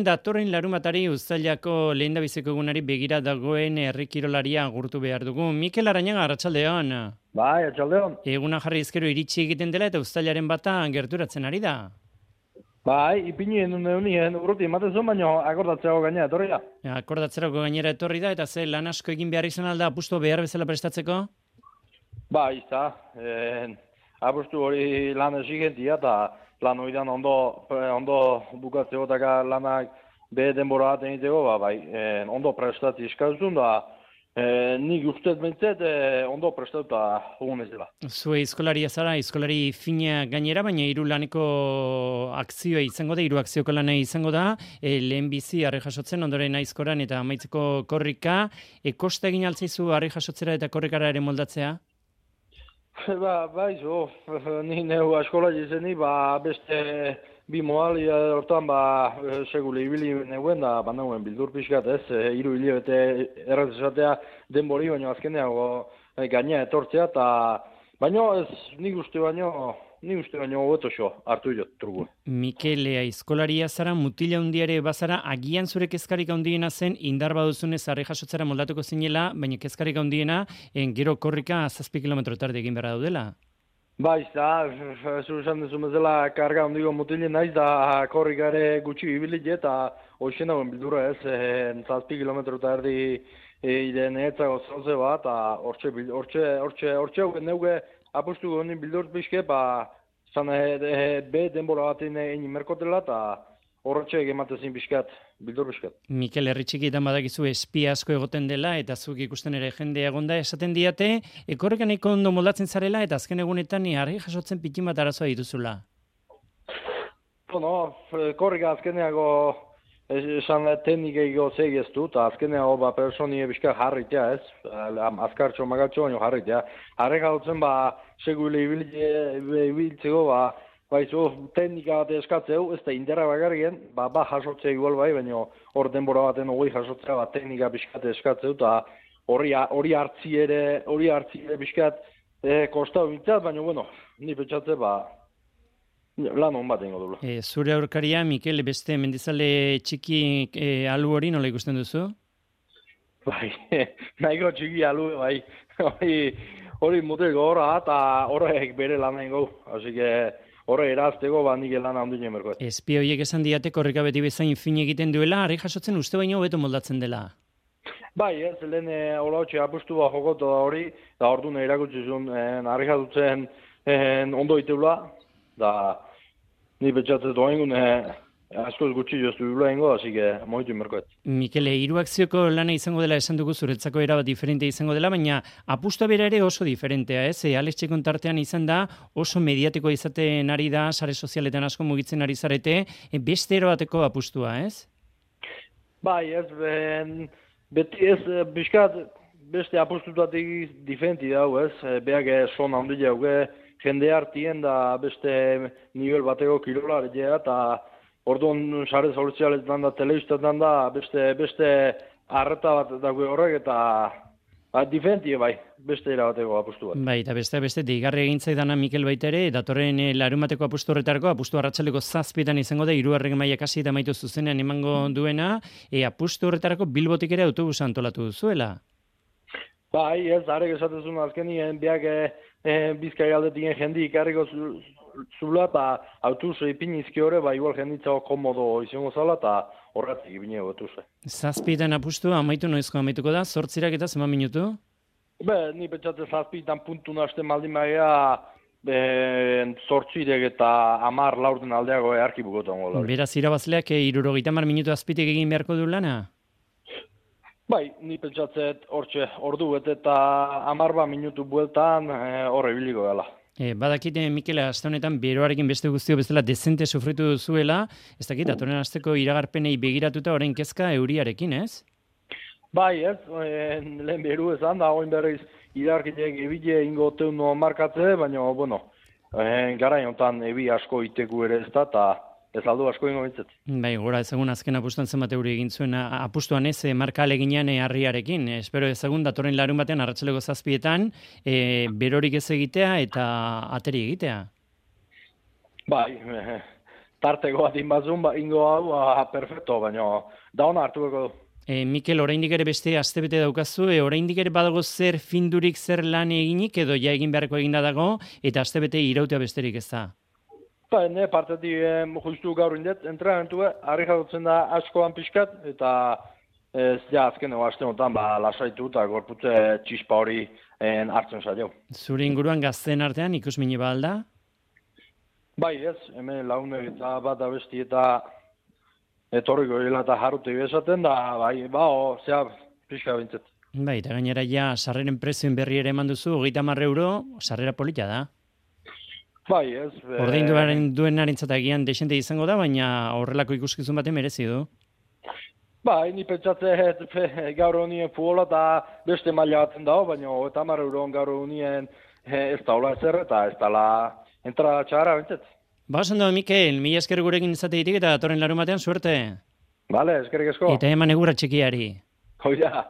Datorren larumatari Uztailako lehendabiziko egunari begira dagoen herri kirolaria agurtu behar dugu. Mikel Arañaga, arratsaldeon. Bai, arratsaldeon. Eguna jarri ezkero iritsi egiten dela eta Uztailaren bata gerturatzen ari da. Bai, ipinien urruti ematen zuen, baina akordatzeko gainera etorri da. Akordatzerako gainera etorri da eta ze lan asko egin behar izan alda apustu behar bezala prestatzeko? Bai, apustu hori lan exigentia eta lan horian ondo bukatzeko eta lanak be denbora bat egiteko, ondo prestatzi eskazun da, nik ustez behintzet ondo prestatuta egun ez dela. Zue izkolaria zara, izkolari fina gainera, baina hiru laneko akzioa izango da, hiru akzioko lana izango da, lehen bizi harri jasotzen, ondoren aizkoran eta amaitzeko korrika, kosta egin altzaizu harri jasotzera eta korrikara ere moldatzea? Ni neu askola jizeni, beste bi modalia hortan segule ibili neuen da, neuen bildur pixkat ez, hiru hilabete erraz esatea denbori, baina azkeneago gaina etortzea, baina ez nik uste baino hobeto xo hartu jot trugu. Mikel, aizkolaria zara, mutila hundiare bazara, agian zure kezkarik handiena zen, indar baduzunez harri jasotzera moldatuko zinela, baina kezkarik handiena, gero korrika 7 kilometro tarde egin behar daudela. Bai, zu esan duzu bezala karga handiko mutilien naiz da korrikare gutxi ibilit eta hoxen dagoen bildura ez, 7 kilometro tardi iden etzako zauze bat, hortxe neuge apustu gonin bildur pixke, zan be denbora batean egin merkotela eta horretxe egematezin pixkat, bildur pixkat. Mikel, herri txikietan badakizu espia asko egoten dela eta zuk ikusten ere jendea egonda esaten diate, korrika nahiko ondo moldatzen zarela eta azken egunetan harri jasotzen pitin bat arazoa dituzula. Korrika azkeneago esan teknikeiko zegeztu eta azkeneago personie pixka jarritea ez, azkartxo magatxo baino jarritea. Harri jasotzen segule ibiltzeko teknika bat eskatzeu, ez da inderra bakarrien, jasotzea igual baina hor denbora baten hori jasotzea teknika pixkat eskatzeu, eta hori hartzi ere pixkat kostau bintzat, baina ni pentsatze lan hon bat ingo dula. Zure aurkaria, Mikel, beste mendizale txiki alu hori nola ikusten duzu? Bai, nahiko txiki alu, hori mutilko horra eta horrek bere lan ingo, así que horre erazteko nik lan handien emerkoet. Espia horiek esan diate korrika beti bezain fin egiten duela, harri jasotzen uste baino hobeto moldatzen dela. Bai, ez, lehen holautxe apustu jokotu da hori, da ordu nahi irakutsi zuen harri jasotzen ondo iteula, da ni betxatzen doa askoz gutxi joztu bibla ingo, así que moitu inmerkoet. Mikele, hiru akzioko lana izango dela esan dugu zuretzako erabat diferente izango dela, baina apustua bera ere oso diferentea, ez? Alex Txekon tartean izan da, oso mediatiko izaten ari da, sare sozialetan asko mugitzen ari zarete, beste erobateko apustua, ez? Bai, ez, beti ez, biskat, beste apustutatik diferenti dau, ez? Beak son handia hauge, jende hartien da beste nivel bateko kirolaria eta orduan sare sozialetan da, telebistatan da, beste arreta bat dago horrek eta diferentie beste erabateko apustu bat. Bai, eta beste deigarri egin zaidana Mikel baita ere, datorren larumateko apustu horretarako, apustu arratsaleko 7 izango da, 3. mailak hasi eta amaitu zuzenean emango duena, apustu horretarako Bilbotik ere autobusa antolatu duzuela. Bai, ez, harek esatezun azkenien, biak Bizkai aldetien jendi ikarriko zula eta autobus ipinizki hori, igual jenditzago komodo izango zala eta horretik ipineko autobus. 7 apustu amaitu noizko amaituko da, 8 eta zenbat minutu? Ni pentsatze 7 puntu nahasten maldin baina 8 eta 10 laurden aldeago earki bukotan gola. Beraz, irabazleak 70 minutu azpitik egin beharko du lana? Bai, ni pentsatzet ordu bete eta 10 minutu bueltan horre biliko gala. Badakite, Mikel, aste honetan beroarekin beste guztio bezala dezente sufritu duzuela, ez dakit, datorren asteko iragarpenei begiratuta orain kezka euriarekin, ez? Bai, ez, lehen beru ezan da, oin berriz iragarkitek ebile ingo teuno markatze, baina, gara honetan ebi asko iteku ere ez da, eta ez aldu asko ingo bintzet. Bai, gora ezagun azken apustuan zenbat euri egin zuen apustuan ez, marka aleginean harriarekin. Espero ezagun datorren larun batean arratsaleko 7etan berorik ez egitea eta ateri egitea. Bai, tarteko bat inbazun, ingo hau, perfecto, baina da hona hartuko du. Mikel, oraindik ere beste astebete daukazu, oraindik ere badago zer findurik zer lan eginik edo ja egin beharreko eginda dago eta astebete irautea besterik ez da. Ba, ne partetik justu gaur indet, entrenamentu, harri jadutzen da askoan pixkat, eta ez ja azkeneko aste honetan lasaitu eta gorputze txispa hori hartzen zaio. Zure inguruan gazteen artean ikusmini ba alda? Bai, ez, hemen launek eta bat abesti eta etorriko hila eta jarrute bezaten da, bai, zea pixka bintzet. Bai, eta gainera ja sarreren prezioen berri ere eman duzu, 30 euro, sarrera polita da. Bai, ez. Ordainduaren duenarentzat agian desente izango da, baina horrelako ikuskizun baten merezi du. Bai, ni pentsatze gaur honien futbola eta beste maila batzen dago, baina 30 euroan gaur honien ez da hola ezer eta ez dala entrada txarra bintzet. Ba, oso ondo, Mikel, mila esker gurekin izateitik eta datorren larumatean suerte. Bale, eskerrik asko. Eta eman egurra txikiari. Hoi da.